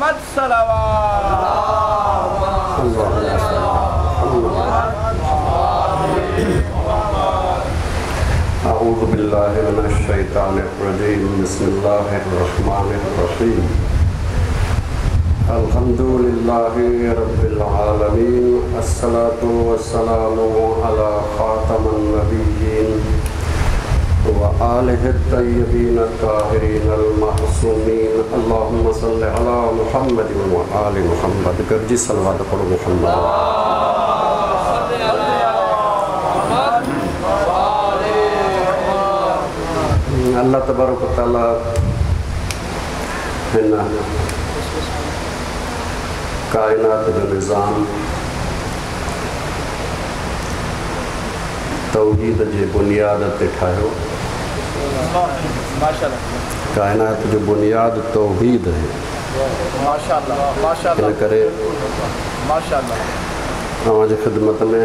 محمد صلوات. أعوذ بالله من الشيطان الرجيم. بسم الله الرحمن الرحيم. الحمد لله رب العالمين، الصلاة والسلام على خاتم النبيين وآله الطيبين الطاهرين المعصومين. اللهم صل على محمد وآل محمد. گڏجي صلوات پڙهو محمد. الله تبارڪ وتعاليٰ هن ڪائنات جو نظام توحيد جي بنياد تي ٺاهيو. ڪائنات جو بنياد توحيد آهي. ان ڪري اوهان جي خدمت ۾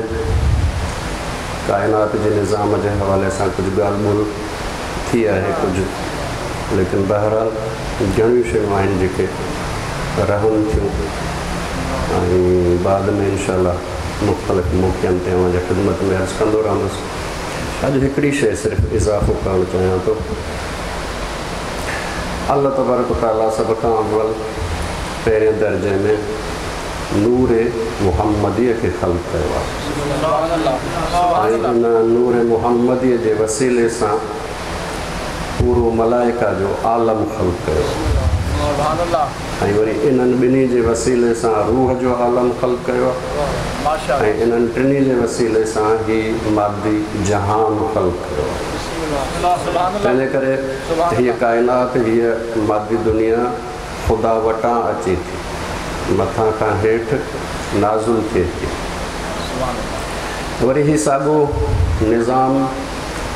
ڪائنات جي نظام جي حوالي سان ڪجهه ڳالهه ٻولهه ٿي آهي ڪجهه، ليڪن بهرحال گهڻيون شيون آهن جيڪي رهن ٿيون ۽ بعد ۾ انشاء الله مختلف موقعن تي اوهان جي خدمت ۾ عرض ڪندو رهندس. اڄ هڪڙي شيء صرف اضافو ڪرڻ چاهيان ٿو. الله تبارڪ وتعاليٰ سڀ کان اول پهرين درجي ۾ نور محمديء کي خلق ڪيو آهي ۽ ان نور محمديء جي وسيلي سان پورو ملائڪه جو عالم خلق ڪيو آهي ۽ وري انهن ٻنهي جي وسيلي سان روح جو عالم خلق ڪيو آهي ۽ انهن ٽنهي جي وسيلي سان هي مادي جهان خلق ڪيو آهي. تنهنجي ڪري هيء ڪائنات، هيء مادي دنيا خدا وٽان اچي ٿي، مٿان کان هيٺ نازل ٿئي ٿي. وري هي ساڳو نظام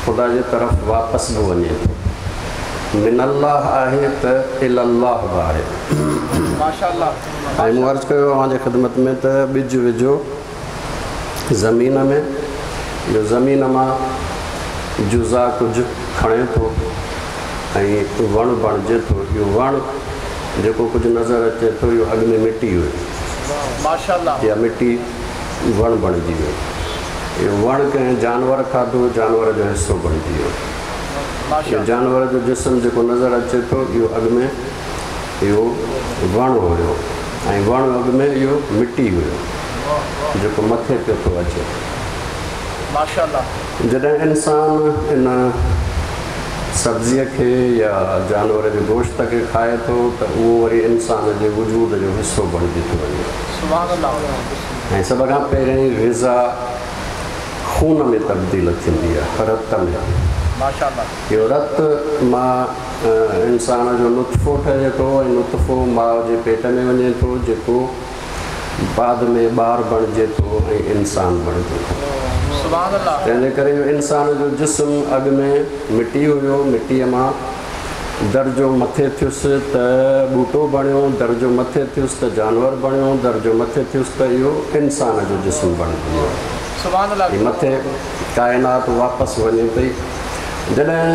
خدا جي طرف واپس به وڃي ٿو. من الله آهي ته الي الله به آهي. ۽ مون عرض ڪيو اوهان جي خدمت ۾ ته ٻج وجهو زمين ۾، جو زمين مان جزا ڪجهه کڻي ٿو ۽ وڻ بڻجي ٿو. اهو وڻ جيڪو ڪجهه نظر اچي ٿو اهو اڳ ۾ مٽي هئي. اها مٽي وڻ بڻجي وئي. اهو وڻ ڪنهن جانور کاڌو، جانور جو حصو بڻجي ويو. اهو جانور جو جسم جيڪو نظر اچي ٿو اهو اڳ ۾ اهو وڻ هيو ۽ وڻ اڳ ۾ اهو مٽي هيو جيڪو مٿي پيو ٿو اچي. جڏهن انسان ان سبزيء کي يا جانور جي گوشت کي کائي ٿو ته اهو وري انسان جي وجود جو حصو بڻجي ٿو وڃي. ۽ سڀ کان پهرين غذا خون ۾ تبديل ٿيندي آهي، رت ۾. اهو رت مان انسان جو نطفو ٺهي ٿو ۽ نطفو ماء جي پيٽ ۾ وڃي ٿو جيڪو بعد ۾ ٻار بڻجي ٿو ۽ انسان بڻجي ٿو. تنهن جي ڪري اهو انسان جو جسم اڳ ۾ مٽي هيو، مٽيء مان درجو مٿي ٿيس ته ٻوٽو بڻيو، درجو مٿي ٿيس ته جانور بڻيو، درجو مٿي ٿيس ته اهو انسان جو جسم بڻجي ويو. هي مٿي ڪائنات واپس وڃي پئي. جڏهن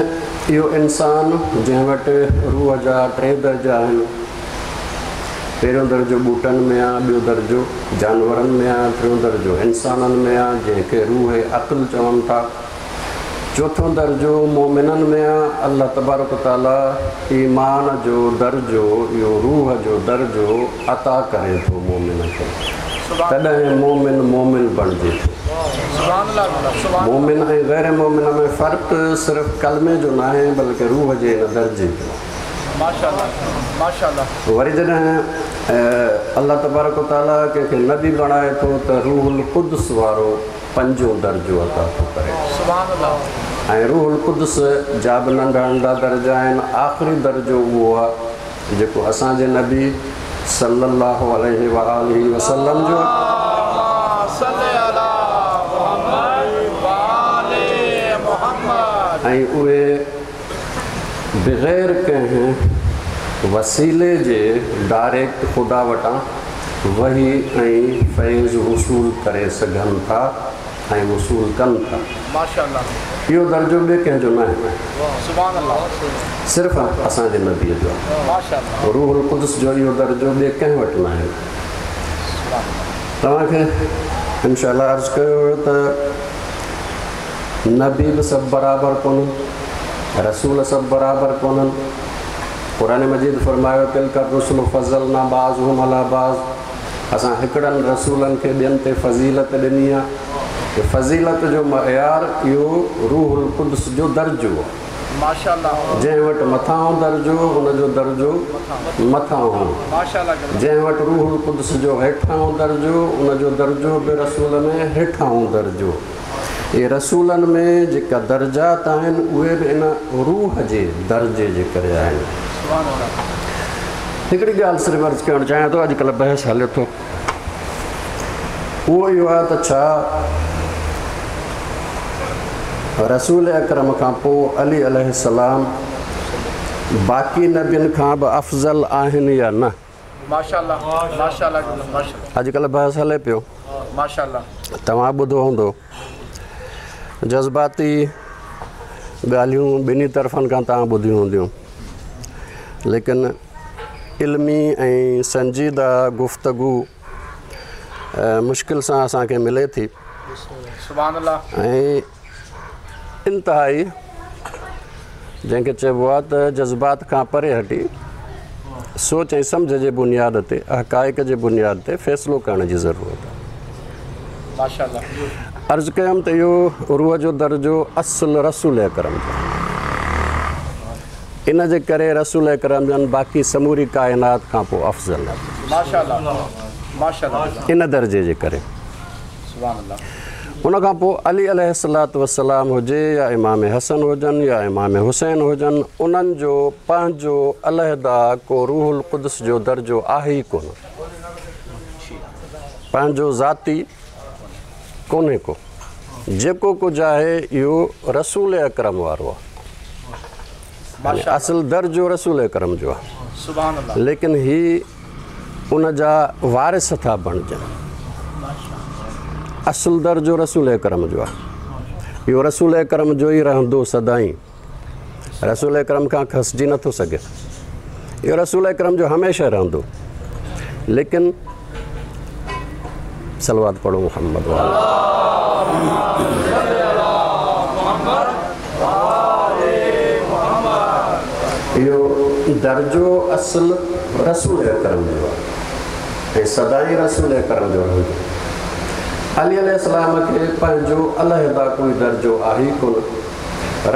اهو انسان جنهن وٽ روح جا ٽي درجا آهن، پهريون درجو ٻوٽن ۾ آ، ٻيو درجو جانورن ۾ آ، ٽيون درجو انسانن ۾ آ، جنهن کي روح عقل چون ٿا. چوٿون درجو مؤمنن ۾ آ. الله تبارڪ و تعاليٰ ايمان جو درجو، اهو روح جو درجو عطا ڪري ٿو مؤمن کي، تڏهن مؤمن مؤمن بڻجي ٿو. مؤمن ۽ غير مؤمن ۾ فرق صرف ڪلمي جو ناهي بلڪه روح جي ان درجي جو. وري جڏهن الله تبارڪ و تعاليٰ ڪنهن کي نبي بڻائي ٿو ته روح القدس وارو پنجون درجو عطا ٿو ڪري ۽ روح القدس جا به ننڍا ننڍا درجا آهن. آخري درجو اهو آهي جيڪو اسان جي نبي صلي الله عليه وآله وسلم جو ۽ اهي بغير ڪنهن وسيلي جي ڊائريڪٽ خدا وٽان وحي ۽ فيض وصول ڪري سگهن ٿا. ۽ وصول ڪن ٿا. اهو درجو ٻئي ڪنهن جو ناهي، صرف اسان جي نبيء جو آهي. روح القدس جو اهو درجو ٻئي ڪنهن وٽ ناهي. توهان کي انشاء الله عرض ڪيو ويو ته نبي به سڀ برابر ڪونهن، رسول سڀ برابر ڪونهن. قرآن مجيد فرمايو تلڪ الرسل فضلنا بعضهم علي بعض، اسان هڪڙن رسولن کي ٻين تي فضيلت ڏني آهي. فضيلت جو معيار اهو روح القدس جو درجو آهي. جنهن وٽ مٿانهون درجو ان جو درجو مٿانهون، جنهن وٽ روح القدس جو هيٺانهون درجو ان جو درجو به رسول ۾ هيٺانهون درجو. اهي رسولن ۾ جيڪا درجات آهن اهي به ان روح جي درجي جي ڪري آهن. هڪڙي ڳالهه صرف عرض ڪرڻ چاهيان ٿو، اڄڪلهه بحث هلي ٿو، اهو اهو آهي ته ڇا رسول اڪرم کان پوءِ علي عليه السلام باقي نبين کان به افضل آهن يا نه؟ اڄڪلهه بحث هلي پيو، توهان ٻڌو هوندو. جذباتي ڳالهيون ٻنهي طرفن کان توهان ٻڌيون هونديون، ليڪن علمي ۽ سنجيده گفتگو مشڪل سان اسان کي ملي ٿي. ۽ انتهائي جنهن کي چئبو آهي ته جذبات کان پري هٽي سوچ ۽ سمجهه جي بنياد تي، حقائق جي بنياد تي فيصلو ڪرڻ جي ضرورت آهي. عرض ڪيم ته اهو روح جو درجو اصل رسول اڪرم جو، ان جي ڪري رسول اڪرم جن باقي سموري ڪائنات کان پوءِ افضل آهي. ان درجي جي ڪري. ان کان پوءِ علي عليه الصلوة والسلام هجي يا امام حسن هجن يا امام حسين هجن، انهن جو پنهنجو علحده ڪو روح القدس جو درجو آهي ئي ڪونه، پنهنجو ذاتي ڪونهي ڪو. جيڪو ڪجهه آهي اهو رسول اڪرم وارو آهي، اصل درجو رسول اڪرم جو آهي، ليڪن هي ان جا وارث ٿا بڻجن. اصل درجو رسول اڪرم جو آهي، اهو رسول اڪرم جو ئي رهندو سدائين، رسول اڪرم کان کسجي نٿو سگهي، اهو رسول اڪرم جو هميشه رهندو. ليڪن صلوات پڙهو محمد واري. اهو درجو اصل رسول اڪرم جو آهي ۽ سدائين رسول اڪرم جو رهندو. علي عليه السلام کي پنهنجو علحده ڪوئي درجو آهي ئي ڪونه.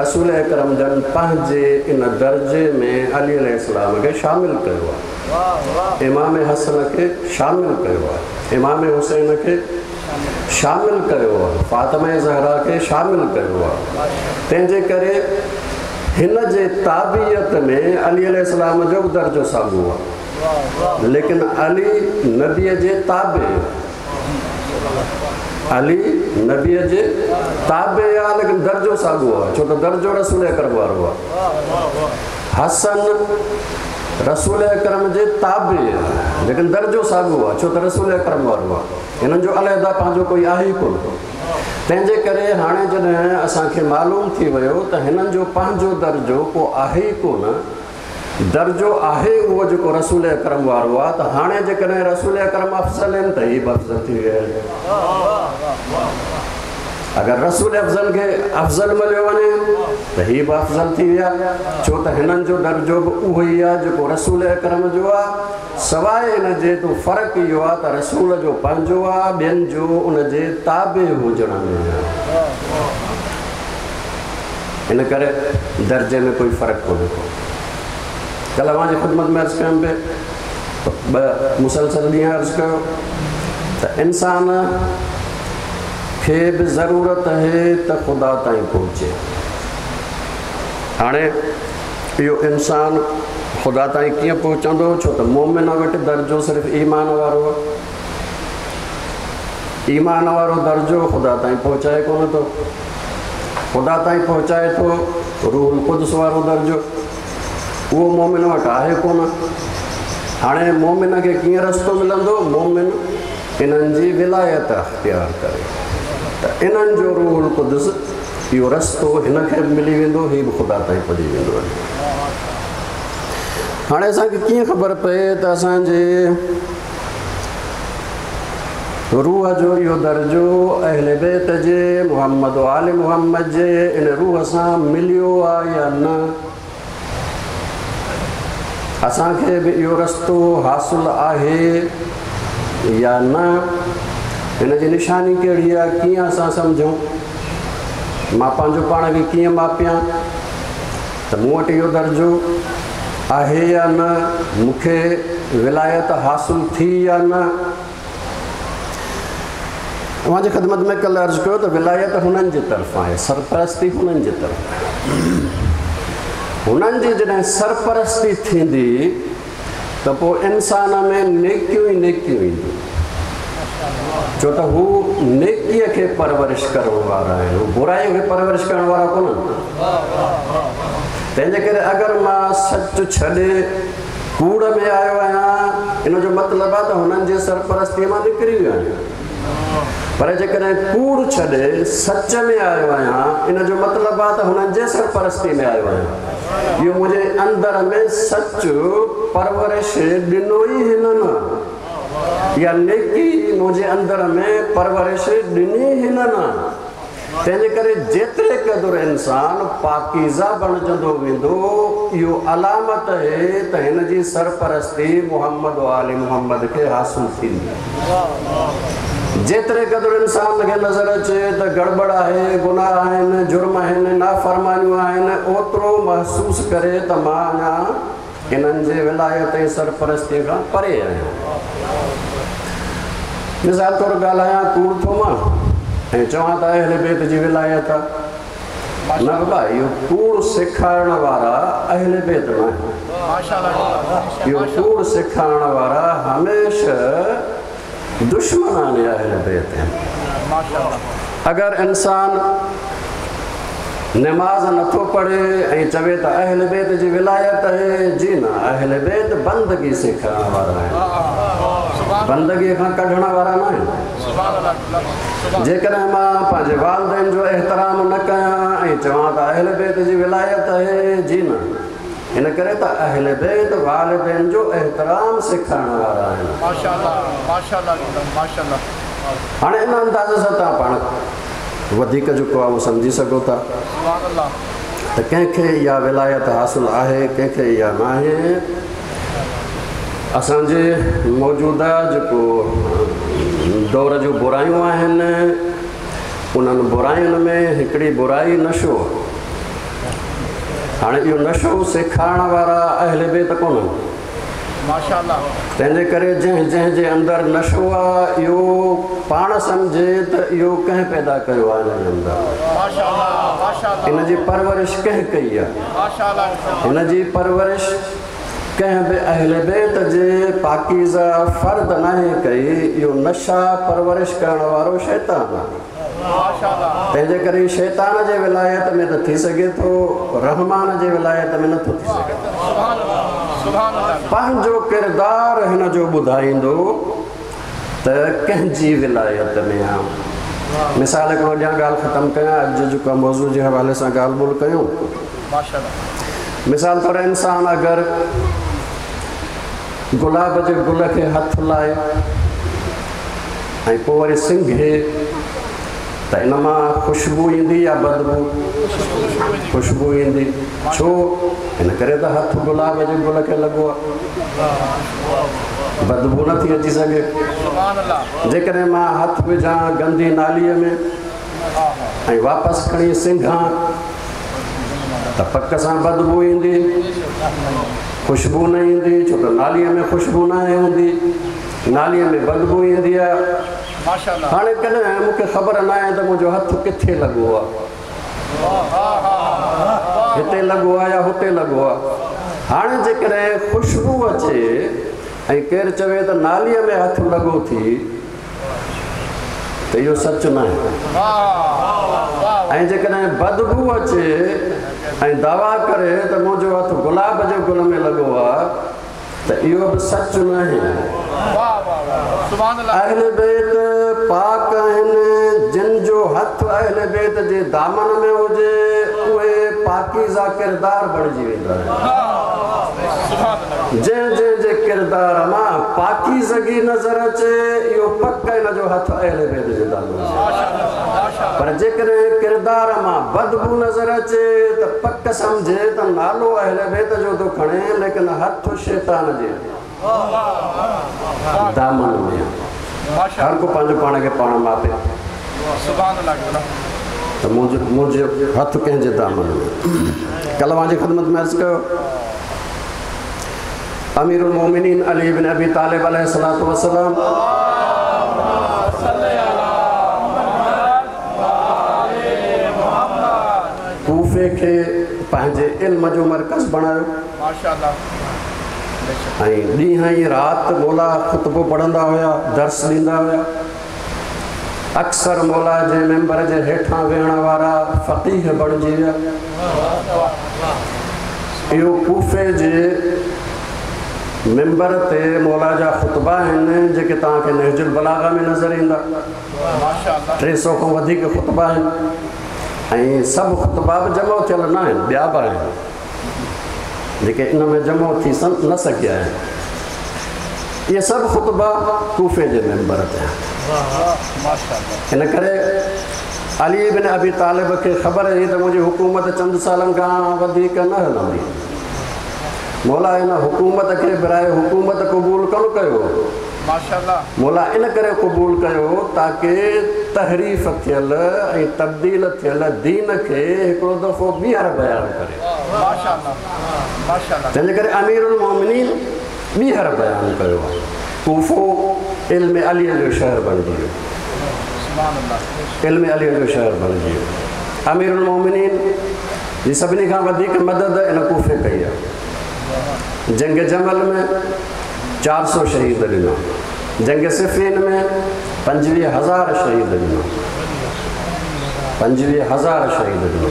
رسول اڪرم جن پنهنجي ان درجي ۾ علي عليه السلام کي شامل ڪيو آهي، امام حسن کي شامل ڪيو آهي، امام حسين کي شامل ڪيو آهي، فاطمه زهرا کي شامل ڪيو آهي. تنهن جي ڪري هن جي تابعيت ۾ علي عليه السلام جو به درجو ساڳيو آهي، ليڪن علي نبيءَ جي تابع، علي نبيءَ جي تابع آهي، ليڪن درجو ساڳيو آهي، ڇو ته درجو رسول اڪرم وارو آهي. حسن رسول اڪرم جي تابع آهي، ليڪن درجو ساڳيو آهي، ڇو ته رسول اڪرم وارو آهي. هنن جو علحده پنهنجو ڪوئي آهي ئي ڪونه. تنهن جي ڪري هاڻي جڏهن اسان کي معلوم ٿي ويو ته هنن جو پنهنجو درجو ڪو آهي ئي ڪونه، درجو آهي اهو جيڪو رسول اڪرم وارو آهي، ته هاڻي جيڪڏهن رسول اڪرم افضل آهن ته هي به افضل ٿي ويا آهن. اگر رسول افضل کي افضل مليو وڃي ته هي به افضل ٿي ويا، ڇو ته هنن جو درجو به اهو ئي آهي جيڪو رسول اڪرم جو آهي. سواءِ ان جي ته فرق اهو آهي ته رسول جو پنهنجو آهي، ٻين جو ان جي تابع هجڻ ۾ آهي. ان ڪري درجي ۾ ڪوئي فرق ڪونهي ڪو. ڪلهه اوهان جي خدمت ۾ عرض ڪيم پئي، ٻه مسلسل ڏينهن عرض ڪيو ته انسان کي به ضرورت آهي ته خدا تائين پهچي. هاڻي اهو انسان خدا تائين ڪيئن پهچندو؟ ڇو ته مومن وٽ درجو صرف ايمان وارو آهي. ايمان وارو درجو خدا تائين پهچائي ڪونه ٿو. خدا تائين پهچائي ٿو روح القدس وارو درجو، اهو مومن وٽ آهي ڪونه. هاڻي مومن کي ڪيئن رستو ملندو؟ مومن انهن جي ولايت اختيار ڪري. ته انهن جو روح القدس اهو رستو هن کي به ملي ويندو، هي به خدا تائين پڄي ويندو. هاڻي اسان کي ڪيئن خبر پئي ته اسان جي روح جو اهو درجو اهل بيت جي محمد و آل محمد جي ان روح سان مليو آهي يا نه؟ اسان کي به اهو رستو حاصل آهي يا نه؟ هن جي نشاني ڪهڙي آهي؟ ڪيئن اسان سمجهون؟ مان پنهنجو پاڻ کي ڪيئن ماپيان ته مون وٽ اهو درجو آهي يا نه؟ مون کي ولايت حاصل ٿي يا نه؟ اوهان جي خدمت ۾ ڪلهه عرض ڪيو ته ولايت هنن جي طرف آهي، سرپرستي هنن جي طرف آهي. هنن جي جڏهن سرپرستي ٿيندي ته پوءِ انسان ۾ نيڪيون ئي نيڪيون اينديون، ڇو ته هو نيڪيءَ کي پرورش ڪرڻ وارا آهن، هو برائيءَ کي پرورش ڪرڻ وارا ڪونهن. تنهن جي ڪري اگر مان سچ ڇڏي ڪوڙ ۾ آيو آهيان، ان جو مطلب آهي ته هنن جي سرپرستيءَ مان نڪري ويو آهيان. پر جيڪڏهن ڪوڙ ڇڏي سچ ۾ آيو آهيان، ان جو مطلب آهي ته هنن جي سرپرستي ۾ آيو آهيان. اهو منهنجي اندر ۾ سچ پرورش ڏنو ئي هنن، يا نيڪي منهنجي اندر ۾ پرورش ڏني هنن. تنهن جي ڪري جيتري قدر انسان پاڪيزه بڻجندو ويندو، اهو علامت آهي ته هن جي سرپرستي محمد آل محمد کي حاصل ٿيندي. جيتري قدر انسان کي نظر اچي ته گڙٻڙ آهي، گناهه آهن، جرم آهن، نافرمانيون آهن، اوترو محسوس ڪري ته مان اڃا انهن جي ولايت ۽ سرپرستيءَ کان پري آهيان. مثال طور ڳالهايان ڪوڙ ٿو مان ۽ چوان ته اهل بيت جي ولايت آهي، نه بابا، اهو ڪوڙ سيکارڻ وارا اهل بيت نه آهن. اهو ڪوڙ سيکارڻ وارا هميشه دشمنان اهل بيت آهن. اگر انسان نماز نٿو پڙهي ۽ چوي ته اهل بيت جي ولايت آهي، جي نه، اهل بيت بندگي سيکارڻ وارا آهن، بندگيءَ کان ڪڍڻ وارا نه آهن. جيڪڏهن مان پنهنجي والدين جو احترام نه ڪيان ۽ چوان ته اهل بيت جي ولايت آهي، جي نه، هن ڪري ته اهل بيت والدين جو احترام سيکارڻ وارا آهن. هاڻي ان انداز سان توهان پاڻ وڌيڪ جيڪو آهي اهو سمجهي سگهو ٿا ته ڪنهن کي اها ولايت حاصل آهي، ڪنهن کي اها نه آهي. اسان جي موجوده جيڪو دور جون برايون آهن، انهن براين ۾ هڪڙي برائي نشو. هاڻي اهو نشو سيکارڻ وارا اهل بيت ڪونهن. تنهن جي ڪري جنهن جنهن جي اندر نشو آهي، اهو پاڻ سمجهي ته اهو ڪنهن پيدا ڪيو آهي هن جي اندر، هن جي پرورش ڪنهن ڪئي آهي، هن جي پرورش ڪنهن به اهل بيت جي پاڪيزه فرد ناهي ڪئي. اهو نشا پرورش ڪرڻ وارو شيطان آهي. تنهن جي ڪري شيطان جي ولايت ۾ ته ٿي سگهي ٿو، رحمان جي ولايت ۾ نٿو ٿي سگهي. پنهنجو ڪردار هن جو ٻڌائيندو ته ڪنهن جي ولايت ۾ آهي. مثال هڪڙو ڏيان، ڳالهه ختم ڪيان، اڄ جيڪو موضوع جي حوالي سان ڳالهه ٻولهه ڪيون. مثال طور انسان اگر گلاب جي گل کي هٿ لائي ۽ پوءِ وري سنگهي ته ان مان خوشبو ايندي يا بدبو؟ خوشبو ايندي. ڇو؟ هن ڪري ته هٿ گلاب جي گل کي لڳو آهي، بدبو نٿي اچي سگهي. جيڪڏهن مان هٿ وجهان گندي ناليءَ ۾ ۽ واپس کڻي سنگهان ته پڪ سان بدبو ايندي، خوشبو نه ايندي، ڇو ته ناليءَ ۾ خوشبو نه آهي هوندي، ناليءَ ۾ بدبو ايندي آهي. هاڻي ڪڏهن مون کي خبر نه آهي ته منهنجو هٿ ڪٿي لڳو آهي، هتي لڳو آهي يا هتي لڳو آهي. هاڻي جيڪڏهن خوشبو اچي ۽ ڪير چوي ته ناليءَ ۾ هٿ لڳو ٿي، ته اهو سچ نه آهي. ۽ جيڪڏهن بدبو اچي ۽ دعويٰ ڪري ته منهنجو هٿ گلاب جي گل ۾ لڳو آهي، ته اهو به سچ نه آهي. اهل بيت پاڪ آهن، جن جو اهل بيت جي دامن ۾ هجي اهي پاڪيزه ڪردار بڻجي ويندا آهن. جنهن جنهن جي ڪردار مان پاڪيزگي نظر اچي اهو پڪ ان جو هٿ اهل بيت جي دامن ۾. پر جيڪڏهن ڪردار مان بدبو نظر اچي ته پڪ سمجهي ته نالو اهل بيت جو ٿو کڻي ليڪن هٿ شيطان جي دامن ۾. هر ڪو پنهنجو پاڻ کي پاڻ ماپي ته منهنجو هٿ ڪنهن جي دامن ۾. ڪل اوهان جي خدمت ۾ عرض ڪيو امير المؤمنين علي بن ابي طالب عليه الصلوة والسلام ڪوفي کي پنهنجي علم جو مرڪز بڻايو ۽ ڏينهن ۽ رات مولا خطبو پڙهندا هيا، درس ڏيندا هيا. اڪثر مولا جي منبر جي هيٺان ويهڻ وارا فقيه بڻجي ويا. اهو ڪوفي جي منبر تي مولا جا خطبا آهن جيڪي توهان کي نهج البلاغه ۾ نظر ايندا. 300 کان وڌيڪ خطبا آهن ۽ سڀ خطبا به جمع ٿيل نه آهن، ٻيا به آهن جيڪي ان ۾ جمع ٿي نه سگهيا آهن. اهي سڀ خطبا ڪوفي جي منبر تي آهن. ان ڪري علي بن ابي طالب کي خبر هئي ته منهنجي حڪومت چند سالن کان وڌيڪ نه هلندي. مولا ان حڪومت کي برائي حڪومت قبول ڪونه ڪيو. مولا ان ڪري قبول ڪيو تاڪه تحريف ٿيل ۽ تبديل ٿيل دين کي هڪڙو دفعو ٻيهر بيان ڪري. تنهنجي ڪري امير المومنين ٻيهر بيان ڪيو آهي. ڪوفو علم علي جو شهر بڻجي ويو. علم علي جو شهر بڻجي ويو. امير المومنين جي سڀني کان وڌيڪ مدد ان ڪوفي ڪئي آهي. جنگ جمل ۾ 400 شهيد ڏنا. جنگ صفين ۾ 25,000 شهيد ڏنا. 25,000 شهيد ڏنا.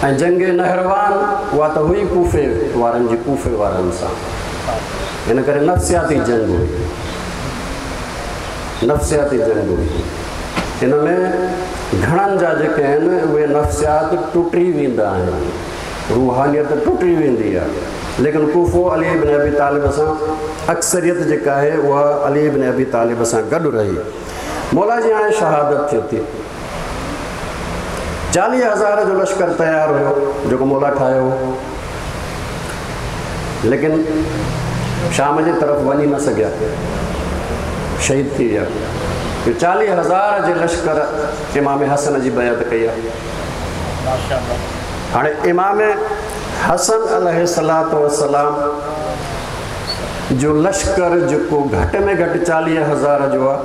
۽ جنگ نهروان اها ته هئي ڪوفي وارن جي ڪوفي وارن سان. ان ڪري نفسياتي جنگ هئي. نفسياتي جنگ هئي. ان ۾ گهڻن جا جيڪي آهن اهي نفسيات ٽٽي ويندا آهن، روحانيت ٽٽي ويندي آهي. ليڪن ڪوفو علي بن ابي طالب سان اڪثريت جيڪا آهي اها علي بن ابي طالب سان گڏ رهي. مولا جي هاڻي شهادت ٿئي ٿي. 40,000 جو لشڪر تيار هيو جيڪو مولا ٺاهيو هو، ليڪن شام جي طرف وڃي نه سگهيا، شهيد ٿي ويا. 40,000 جي لشڪر امام حسن جي بيعت ڪئي آهي. هاڻي امام حسن عليه الصلوة والسلام جو لشڪر جيڪو گهٽ ۾ گهٽ 40,000 جو آهي،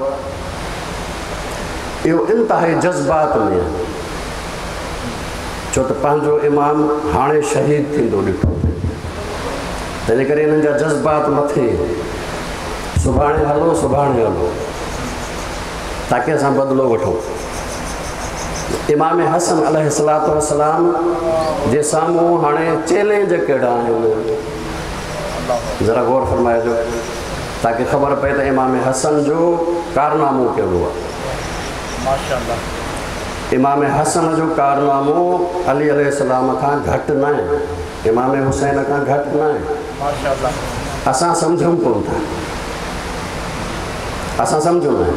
اهو انتهائي جذبات ۾ آهي، ڇو ته پنهنجو امام هاڻي شهيد ٿيندو ڏٺو پئي، تنهنجي ڪري انهن جا جذبات مٿي، سڀاڻي هلو سڀاڻي هلو تاڪه اسان بدلو وٺون. امام حسن عليه الصلوة والسلام جي سامهون هاڻي چئلينج ڪهڙا آهن، ذرا غور فرمائجو تاڪه خبر پئي ته امام حسن جو ڪارنامو ڪهڙو آهي. امام حسن جو ڪارنامو علي عليه السلام کان گهٽ نه آهي، امام حسين کان گهٽ نه آهي. اسان سمجهون ڪونه ٿا، اسان سمجهون نه.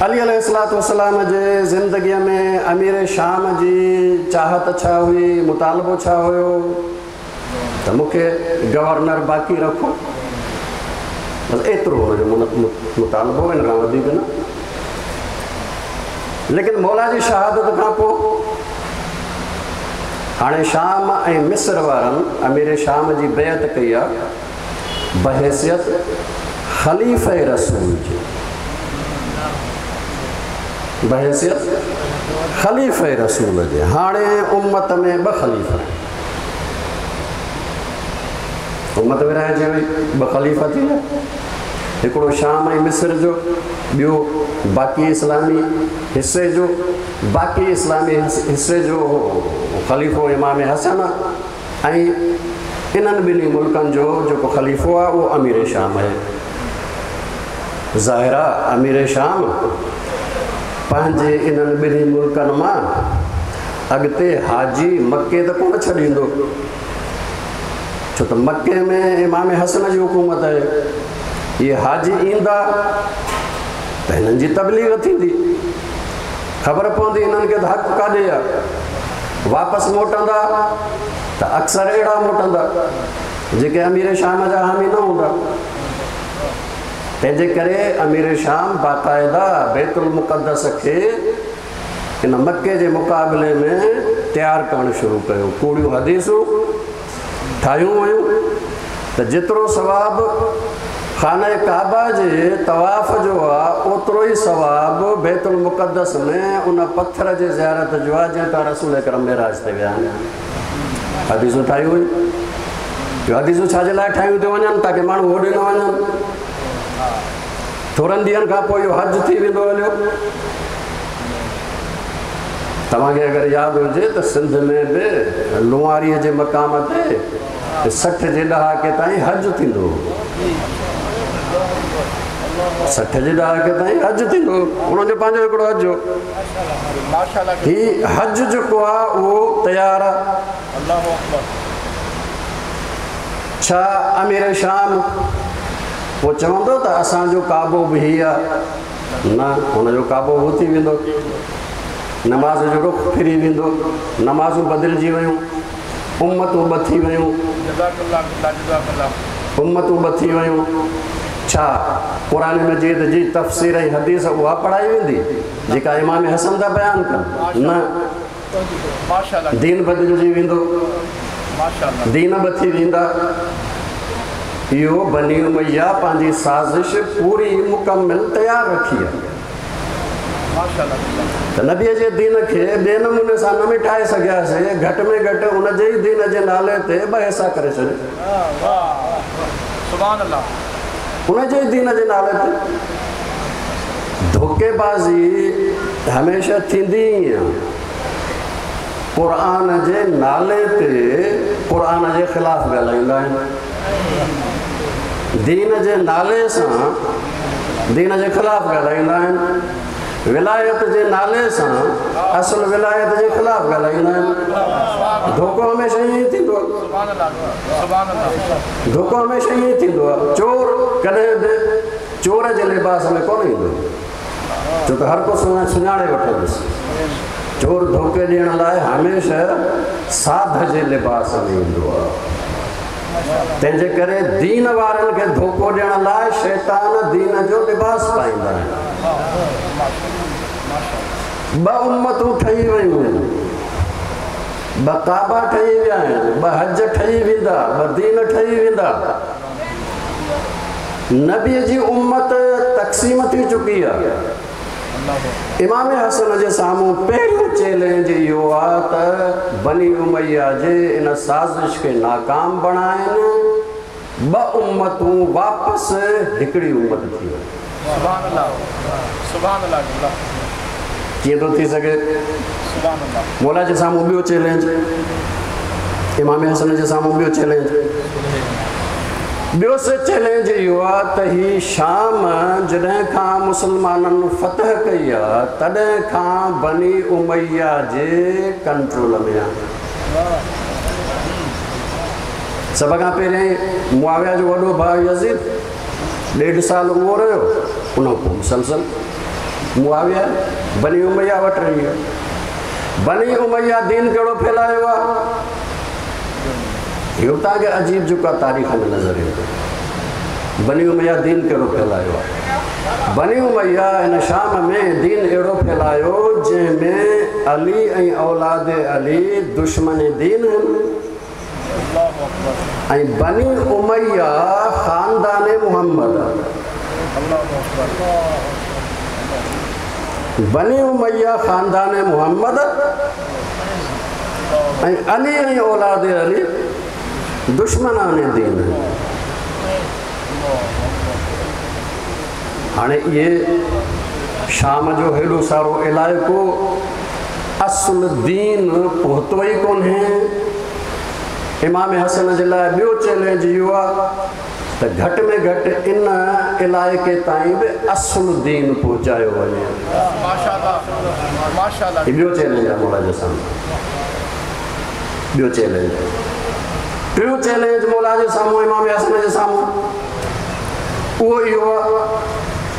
علي عليه الصلوة والسلام جي زندگيء ۾ امير شام جي چاهت ڇا هئي، مطالبو ڇا هيو ته مون کي گورنر باقي رکو، بس ايترو هن جو مطالبو، ان کان وڌيڪ نه. ليڪن مولا جي شهادت کان پوء هاڻي شام ۽ مصر وارن امير شام جي بيعت ڪئي آ بحيثيت خليفه رسول جي، بحيثيت خليفه رسول جي. هاڻي امت ۾ ٻه خليفا آهن، امت ورهائجي وئي، ٻه خليفا ٿي ويا، هڪڙو شام ۽ مصر جو، ٻيو باقي اسلامي حصي جو. باقي اسلامي حصي جو خليفو امام حسن آ ۽ انهن ٻنهي ملڪن جو جيڪو خليفو آ اهو امير شام آهي. ज़ाहिर आहे अमीर शाम पंहिंजे इन्हनि ॿिन्ही मुल्कनि मां अॻिते हाजी मक्के त कोन छॾींदो, छो त मक्के में इमाम हसन जी हुकूमत आहे। इहे हाजी ईंदा त हिननि जी तबलीग थींदी, ख़बर पवंदी हिननि खे त हक़ काॾे आहे। वापसि मोटंदा त अक्सर अहिड़ा मोटंदा जेके अमीर शाम जा हामी न हूंदा। तंहिंजे करे अमीर शाम बाक़ाइदा बैतुल मुक़द्दस खे इन मक्के जे मुक़ाबले में तयारु करणु शुरू कयो। कूड़ियूं हदीसूं ठाहियूं वयूं त जेतिरो सवाबु खाने काबा जे तवाफ़ जो आहे ओतिरो ई सवाबु बैतुल मुक़द्दस में उन पथर जे ज़ियारत जो आहे जंहिं तां रसूल करम मेराज ते विया आहिनि। हदीसूं ठाहियूं वयूं। जो हदीसूं छाजे लाइ ठाहियूं थियूं वञनि ताकी माण्हू होॾे न वञनि। थोरनि ॾींहंनि खां पोइ इहो हज थी वेंदो हलियो। तव्हांखे अगरि यादि हुजे त सिंध में बि लुआरीअ जे मक़ाम ते 60 जे ॾहाके ताईं हज थींदो हो। 60 जे ॾहाके ताईं हज थींदो हो, हुनजो पंहिंजो हिकिड़ो हज हो। हीउ हज जेको आहे उहो तयारु आहे। छा अमीर शाम पोइ चवंदो त असांजो काबो बि हीउ आहे? न, हुनजो काबो उहो थी वेंदो, नमाज़ जो रुख फिरी वेंदो, नमाज़ूं बदिलजी वयूं, उम्मतूं ॿ थी वयूं, उम्मतूं ॿ थी वयूं। छा क़ुर मजीद जी तफ़सीर ऐं हदीस उहा पढ़ाई वेंदी जेका इमाम हसन था बयानु कनि? न, दीन बदिलजी वेंदो, दीन ॿ थी वेंदा। इहो बनी उमैया पंहिंजी साज़िश पूरी मुकमिल तयारु रखी आहे। त नबीअ जे दीन खे ॿिए नमूने सां न मिटाए सघियासीं, घटि में घटि उनजे ई दीन जे नाले ते ॿ हिसा करे छॾे। उनजे ई दीन जे नाले ते धोखेबाज़ी हमेशह थींदी ई आहे। क़ुर जे नाले ते क़ुर जे ख़िलाफ़ ॻाल्हाईंदा आहिनि, दीन जे नाले सां दीन जे ख़िलाफ़ ॻाल्हाईंदा आहिनि, विलायत जे नाले सां असुल विलायत जे ख़िलाफ़ ॻाल्हाईंदा आहिनि। धोखो हमेशह ईअं ई थींदो आहे, धोखो हमेशह ईअं ई थींदो आहे। चोर कॾहिं बि चोर जे लिबास में कोन ईंदो, छो त हर को सुञाणे वठंदुसि। चोर धोखे ॾियण लाइ हमेशह साध जे लिबास में ईंदो आहे। तंहिंजे करे दीन वारनि खे धोखो ॾियण लाइ शैतान दीन जो लिबास पाईंदा आहिनि। ॿ उम्मतूं ठही वयूं आहिनि, ॿ काबा ठही विया आहिनि, ॿ हज ठही वेंदा, ॿ दीन ठही वेंदा। नबीअ जी उम्मत तक़सीम थी चुकी आहे। इमाम हसन जे साम्हूं पहिरियों चैलेंज इहो आहे त बनी उमैया जे इन साज़िश खे नाकाम बणाइनि, ॿ उम्मतूं वापसि हिकिड़ी उम्मत थी वञे। कीअं थो थी सघे? मौला जे साम्हूं ॿियो चैलेंज, इमाम हसन जे साम्हूं ॿियो चैलेंज। ॿियो से चैलेंज इहो आहे त हीअ शाम जॾहिं खां मुसलमाननि फतह कई आहे तॾहिं खां बनी उमैया जे कंट्रोल में आहे। सभ खां पहिरियों मुआविया जो वॾो भाउ यज़ीद 1.5 साल उहो रहियो, उन खां पोइ मुसलसल मुआविया बनी उमैया वटि रही वियो। बनी उमैया दीन कहिड़ो फैलायो आहे? इहो तव्हांखे अजीब जेको आहे तारीख़ में नज़र ईंदो। बनी उमैया दीन कहिड़ो फैलायो आहे? बनी उमैया हिन शाम में दीन अहिड़ो फैलायो जंहिंमें अली ऐं औलाद अली दुश्मन दीन आहिनि ऐं बनी उमैया ख़ानदान मोहम्मद। बनी उमैया ख़ानदान मोहम्मद ऐं अली ऐं औलाद अली दुश्मनान दीन। हाणे इहे शाम जो हेॾो सारो इलाइक़ो असुल दीन पहुतो ई कोन्हे। इमाम हसन जे लाइ ॿियो चैलेंज इहो आहे त घटि में घटि इन इलाइक़े ताईं बि असुलु दीन पहुचायो वञे। ॿियो चैलेंज आहे मौला जे साम्हूं, ॿियो चैलेंज। टियों चैलेंज मौला जे साम्हूं, इमाम हसन जे साम्हूं उहो इहो आहे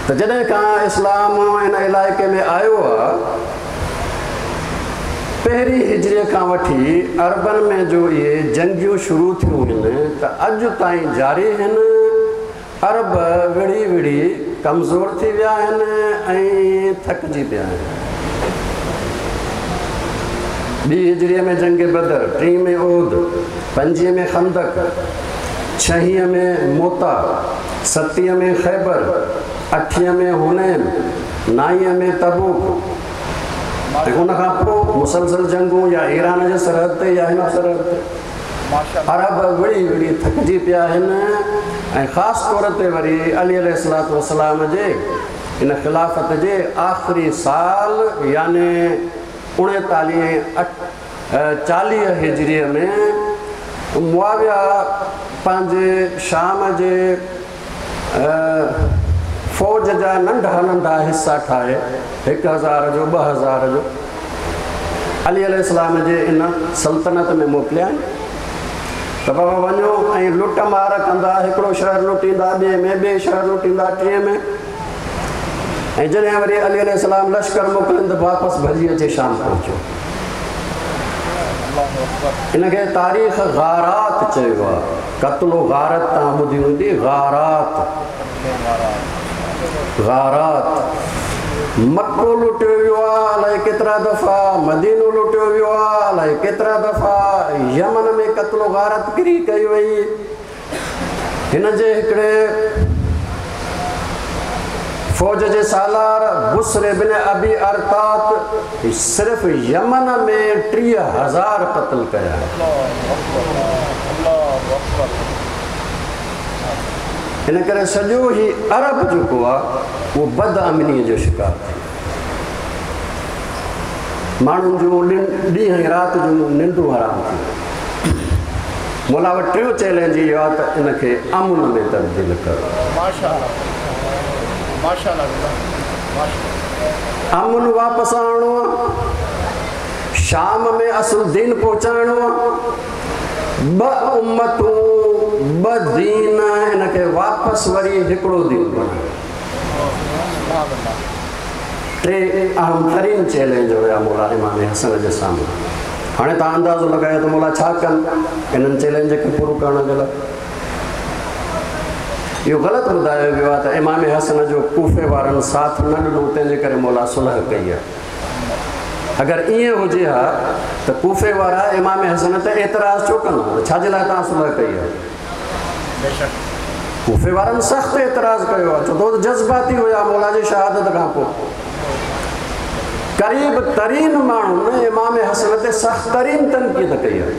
त जॾहिं खां इस्लाम इन इलाइक़े में आयो आहे, पहिरीं हिजरीअ खां वठी अरबनि में जो इहे जंगियूं शुरू थियूं आहिनि त अॼु ताईं जारी आहिनि। अरब विड़ी विड़ी कमज़ोर थी विया आहिनि ऐं थकिजी पिया आहिनि। ॿी हिजरीअ में जंग बदर, टीं में उहद, पंजीह में खंदक, छहीअ में मोता, सतीह में ख़ैबर, अठीह में हुनैन, नाईअ में तबूक। ऐं उन खां पोइ मुसलसल जंगूं या ईरान जे सरहद ते या हिन सरहद ते। अरब विड़ी विड़ी थकिजी पिया आहिनि ऐं ख़ासि तौर ते वरी अली अलैहिस्सलातु वस्सलाम जे इन ख़िलाफ़त जे आख़िरी साल यानी 39 40 हिजरीअ में मुआविया पंहिंजे शाम जे फ़ौज जा नंढा नंढा हिस्सा ठाहे 1000 जो 2000 जो अली अलैहिस्सलाम जे इन सल्तनत में मोकिलिया आहिनि त बाबा वञो ऐं लुट मार कंदा, हिकिड़ो शहर लुटींदा, ॿिए में ॿिए शहर लुटींदा, टिएं में। ऐं जॾहिं वरी अली अलैहिस्सलाम लश्कर मोकिलिनि त वापसि भॼी अचे शाम पहुचो। इनखे तारीख़ गारात चयो आहे, कत्लो गारत तव्हां ॿुधी हूंदी, गारात गारात। मक्को लुटियो वियो आहे अलाए केतिरा दफ़ा, मदीनो लुटियो वियो आहे अलाए केतिरा दफ़ा, यमन में कत्लो गारत किरी कई वई। हिन जे हिकिड़े फ़ौज जे सालार बुसर बिन अबी अरतात सिर्फ़ यमन में 30,000 क़त्ल कया। इन करे सॼो ही अरब जेको आहे उहो बदअमनीअ जो शिकार थियो। माण्हुनि जूं ॾींहुं ऐं राति जूं निंडूं हराम थी वयूं। मौला वटि टियों चैलेंज इहो आहे त इनखे अमुन में तब्दील करो। अमुन वापसि आणणो आहे, शाम में असुल दीन पहुचाइणो आहे। ॿ उम्मतूं ॿ दीन, हिनखे वापसि वरी हिकिड़ो दीन बणायो। टे अहम तरीन चैलेंज हुया मौला इमाम हसन जे साम्हूं। हाणे तव्हां अंदाज़ो लॻायो त मौला छा कनि इन्हनि चैलेंज खे पूरो करण जे लाइ। इहो ग़लति ॿुधायो वियो आहे त इमाम हसन जो कूफे वारनि साथ न ॾिनो, तंहिंजे करे मौला सुलह कई आहे। अगरि ईअं हुजे हा त कूफे वारा इमाम हसन ते एतिराज़ छो कंदा, छाजे लाइ तव्हां सुलह कई आहे? कूफे वारनि सख़्तु एतिराज़ कयो आहे, छो त जज़्बाती हुया मौला जी शहादत खां पोइ। क़रीब तरीन माण्हुनि इमाम हसन ते सख़्त तरीन तनक़ीद कई आहे,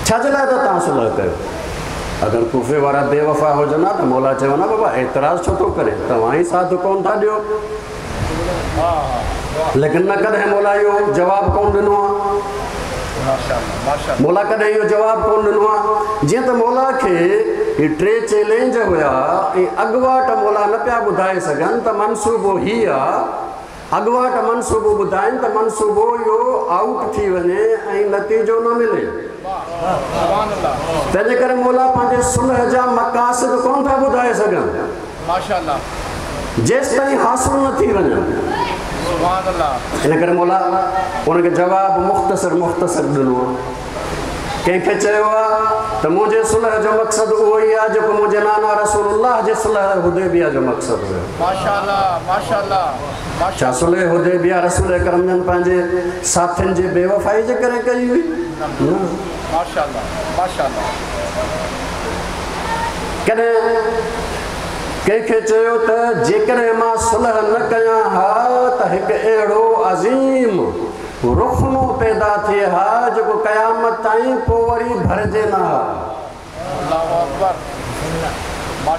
छाजे लाइ त तव्हां सुलह कयो? अगरि कूफे वारा बेवफ़ा हुजनि हा त मौला चवनि हा बाबा एतिराज़ छो थो करे, तव्हां ई साथ कोन था ॾियो। लेकिन न कॾहिं मौला इहो जवाबु कोन ॾिनो आहे, मौला कॾहिं इहो जवाबु कोन ॾिनो आहे। जीअं त मौला खे इहे टे चैलेंज हुया ऐं अॻवाट मौला न पिया ॿुधाए सघनि त मनसूबो हीउ आहे, अॻवाट मनसूबो ॿुधाइनि त मनसूबो इहो आउट थी वञे ऐं नतीजो न मिले। तंहिंजे करे मौला पंहिंजे सुलह जा मक़ासिद कोन था ॿुधाए सघनि जेसि ताईं हासिल न थी वञनि। इन करे मौला उनखे जवाबु मुख़्तसिर मुख़्तसिर ॾिनो आहे। कंहिंखे चयो आहे त मुंहिंजे सुलह जो मक़सदु उहो ई आहे जेको मुंहिंजे नाना रसूलुल्लाह जे सुलह हुदैबिया जो मक़सदु हुयो। छा सुलह हुदैबिया रसूल करम जन पंहिंजे साथियुनि जे बेवफ़ाई जे करे कई हुई? न। कॾहिं कंहिंखे चयो त जेकॾहिं मां सुलह न कयां हा त हिकु अहिड़ो अज़ीम रुखनो पैदा थिए हा जेको क़यामत ताईं पोइ वरी भरिजे न हा।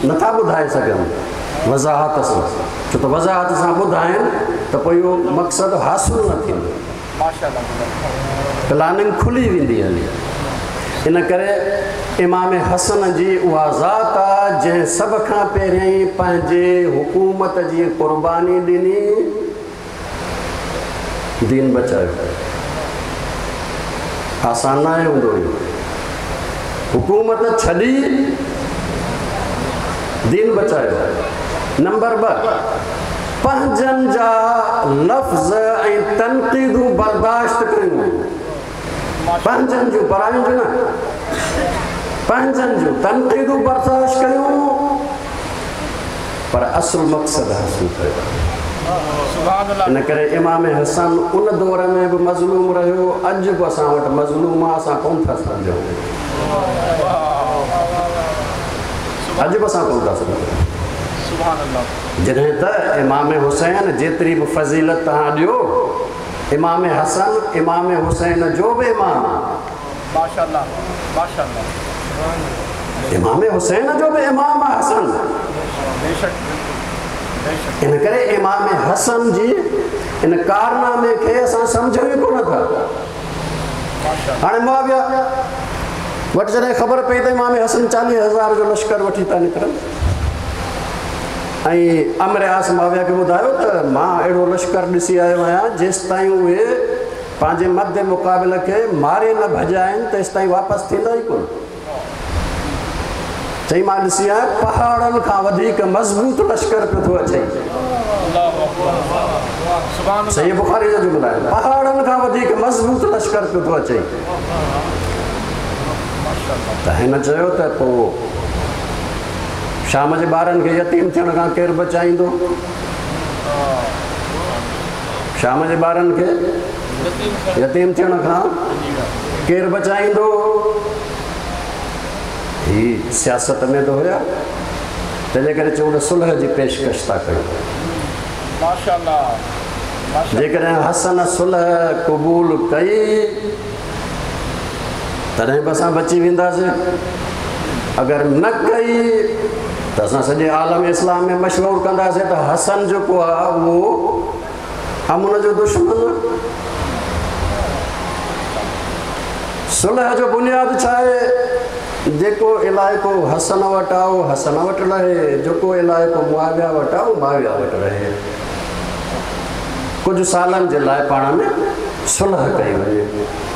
नथा ॿुधाए सघनि वज़ाहत सां, छो त वज़ाहत सां ॿुधाइनि त पोइ इहो मक़सदु हासिल न थींदो, प्लानिंग खुली वेंदी हली। इन करे इमाम हसन जी उहा ज़ात आहे जंहिं सभ खां पहिरियां पंहिंजे हुकूमत जी क़ुर्बानी ॾिनी, दीन बचायो। आसान न आहे हूंदो इहो, हुकूमत छॾी दीन बचायो। नंबर 2, पंहिंजनि जा लफ़्ज़ ऐं तनक़ीदूं बर्दाश्त कयूं। पंहिंजनि जूं, परायुनि जूं न, पंहिंजनि जूं तनक़ीदूं बर्दाश्त कयूं, पर असुल मक़सदु हासिल कयो। इन करे इमाम हसन उन दौर में बि मज़लूम रहियो, अॼु बि असां वटि मज़लूम आहे, असां कोन था सम्झूं, अॼु बि असां कोन था सम्झूं। जॾहिं त इमाम हुसैन जेतिरी बि फ़ज़ीलत तव्हां ॾियो, इमाम हसन इमाम हुसैन जो बि इमाम, माशाअल्लाह माशाअल्लाह, इमाम हुसैन जो बि इमाम आहे हसन। इन करे इमाम हसन जी इन कारनामे खे असां सम्झूं ई कोन था। हाणे मुआविया वटि जॾहिं ख़बर पई त इमाम हसन 40,000 जो लश्कर वठी था निकिरनि, ऐं अमर आस मुआविया खे ॿुधायो त मां अहिड़ो लश्कर ॾिसी आयो आहियां, जेसि ताईं उहे पंहिंजे मद मुक़ाबिल खे मारे न भॼाइनि तेसि ताईं वापसि थींदा ई कोन। चई मां ॾिसी आहियां पहाड़नि खां वधीक मज़बूत लश्कर पियो थो अचे। सही बुखारी जो जुमिलो आहे, पहाड़नि खां वधीक मज़बूत लश्कर पियो थो अचे। त हिन चयो त पोइ शाम जे ॿारनि खे यतीम थियण खां केरु बचाईंदो? शाम जे ॿारनि खे यतीम थियण खां केरु बचाईंदो? ही सियासत में त हुया, तंहिंजे करे चऊं त सुलह जी पेशकश था कयूं। माशाअल्लाह। जेकॾहिं हसन सुलह क़बूल कई तॾहिं बि असां बची वेंदासीं, अगरि न कई त असां सॼे आलम इस्लाम में मशहूर कंदासीं त हसन जेको आहे उहो अमन जो दुश्मन। सुलह जो बुनियादु छा आहे? जेको इलाइक़ो हसन वटि आहे उहो हसन वटि रहे, जेको इलाइक़ो मुआविया वटि आहे उहो मुआविया वटि रहे। कुझु सालनि जे लाइ पाण में सुलह कई वञे।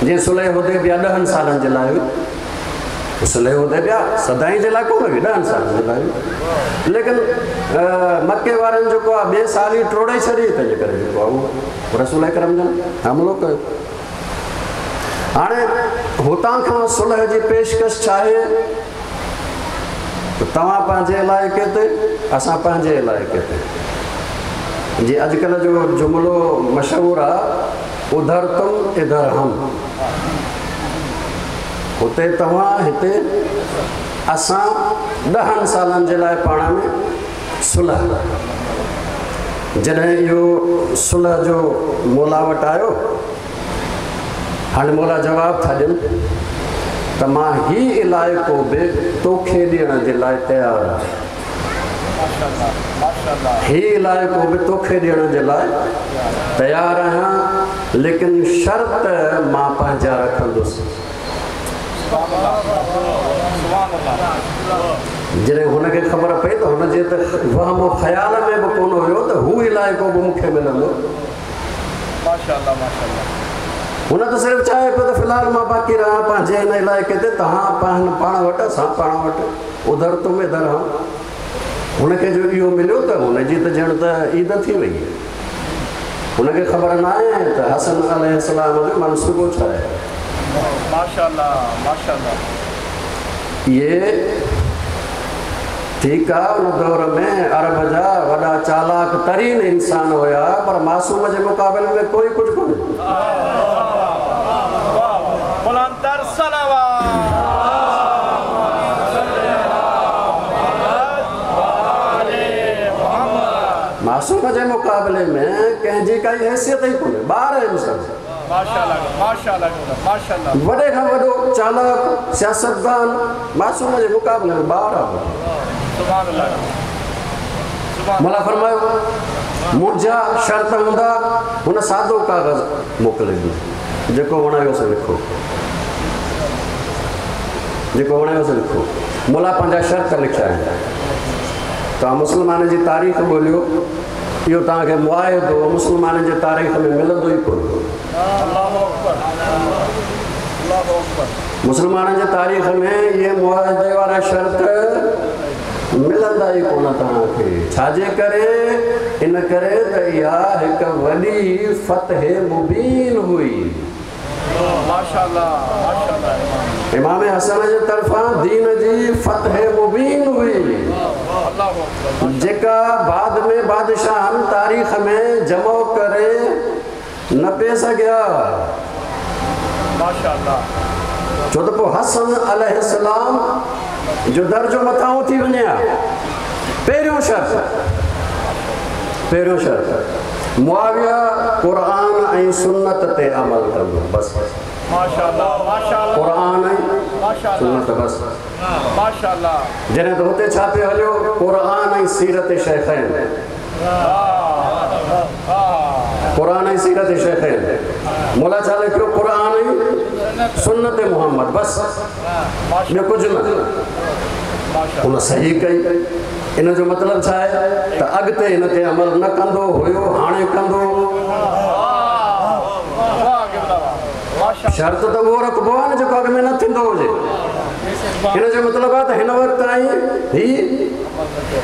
जीअं सुलह हुदैबिया 10 सालनि जे लाइ हुई, सुलह हुदैबिया सदाई जे लाइ कोन हुई, 10 सालनि जे लाइ हुई। लेकिन मक्के वारनि जेको आहे ॿिए साल ई टोड़े छॾी, तंहिंजे करे जेको आहे उहो रसूल करम जन हमलो कयो। हाणे हुतां खां सुलह जी पेशकश छा आहे? त तव्हां पंहिंजे इलाइक़े ते, असां पंहिंजे इलाइक़े ते। जीअं अॼुकल्ह जो जुमिलो मशहूरु आहे, उधर तुम इधर हम, हुते तव्हां हिते असां, 10 सालनि जे लाइ पाण में सुलह। जॾहिं इहो सुलह जो मौला वटि आयो, हाणे मौला जवाबु था ॾियनि त मां हीउ इलाइक़ो बि तोखे ॾियण जे लाइ तयारु आहियां, हीउ इलाइक़ो बि तोखे ॾियण जे लाइ तयारु आहियां, लेकिन शर्त मां पंहिंजा रखंदुसि। जॾहिं हुनखे ख़बर पई त हुनजे त वहम ख़्याल में बि कोन हुयो त हू इलाइक़ो बि मूंखे मिलंदो। माशाअल्लाह माशाअल्लाह। हुन त सिर्फ़ु चाहे पियो त फ़िलहाल मां बाक़ी रहां पंहिंजे हिन इलाइक़े ते, तव्हां पाण वटि असां पाण वटि, उधर तुम इधर हम। हुनखे जो इहो मिलियो त हुनजी त ॼण त ईद थी वई। हुनखे ख़बर न आहे त हसन अलैहिस्सलाम जो मनसूबो छा आहे। माशाअल्लाह माशाअल्लाह। इहे ठीकु आहे, उन दौर में अरब जा वॾा चालाक तरीन इंसान हुया, पर मासूम जे मुक़ाबले में कोई कुझु कोन्हे। मासूम जे मुक़ाबले में कंहिंजी काई हैसियत ई कोन्हे, ॿार आहिनि सभु। माशाअल्लाह माशाअल्लाह माशाअल्लाह। वॾे खां वॾो चालाक सियासतदान मासूम जे मुक़ाबले में ॿार आहे। सुभान अल्लाह। मौला फरमायो मुंहिंजा शर्त हूंदा, हुन सादो काग़ज़ मोकिले ॾिनो, जेको वणियोसि लिखो। जेको वणेव सो लिखो। मुला पंहिंजा शर्त लिखिया आहिनि। तव्हां मुस्लमाननि जी तारीख़ ॻोल्हियो, इहो तव्हांखे मुआहिदो मुस्लमाननि जी तारीख़ में मिलंदो ई कोन। मुस्लमाननि जी तारीख़ में इहे मुआहिदे वारा शर्त मिलंदा ई कोन तव्हांखे। छाजे करे? इन करे त इहा हिकु वॾी फतह मुबीन हुई। माशाअल्लाह माशाअल्लाह। इमाम हसन जे तरफ़ां दीन जी फतह मुबीन हुई, जेका बाद में बादशाहनि तारीख़ में जमो करे न पे सघिया। माशाअल्लाह। छो त पोइ हसन अलैहिस्सलाम जो दर्जो मथां थी वञे हा। पहिरियों शर्त, पहिरियों शर्त मुआविया क़ुरान ऐं सुन्नत ते अमल कंदो, बसि। माशाअल्लाह माशाअल्लाह। क़ुरान ऐं सुन्नत, बसि। माशाअल्लाह। जॾहिं त हुते छा पियो हलियो? क़ुरान ऐं सीरत शेखैन, क़ुरान ऐं सीरत शेखैन। मुला छा लिखियो? क़ुरान ऐं सुन्नत मोहम्मद, बसि, ॿियो कुझु न। हुन सही कई। इन जो मतिलबु छा आहे त अॻिते हिन ते अमल न कंदो हुयो, हाणे कंदो। शर्त त उहो रखिबो आहे न जेको अॻु में न थींदो हुजे। हिन जो मतिलबु आहे त हिन वक़्तु ताईं ही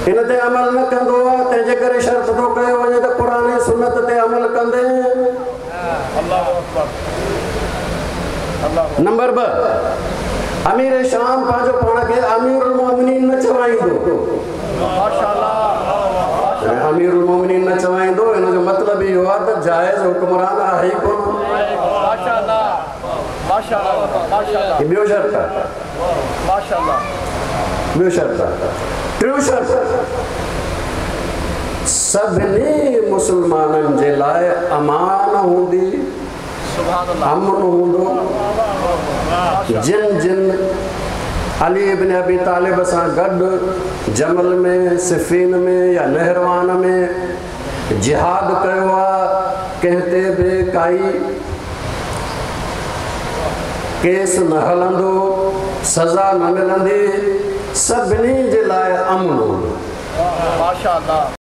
हिन ते अमल न कंदो आहे, तंहिंजे करे शर्त थो कयो वञे त क़ुरान ऐं सुन्नत ते अमल कंदे। नंबर 2, अमीर शाम पंहिंजो पाण खे अमीरुल मोमिनीन न चवाईंदो। अमीरुल मोमिनीन न चवाईंदो, हिन जो मतिलबु इहो आहे त जाइज़ हुक्मरान आहे ई कोन। ॿियो शर्त आहे, ॿियो शर्त आहे। टियों शर्त, सभिनी मुस्लमाननि जे लाइ अमान हूंदी, अमन हूंदो। जिन जिन अली इब्न अबी तालिब सां गॾु जमल में, सिफीन में या नहरवान में जिहाद कयो आहे, कंहिं ते बि काई केस न हलंदो, सज़ा न मिलंदी, सभिनी जे लाइ अमन हूंदो। माशाअल्लाह।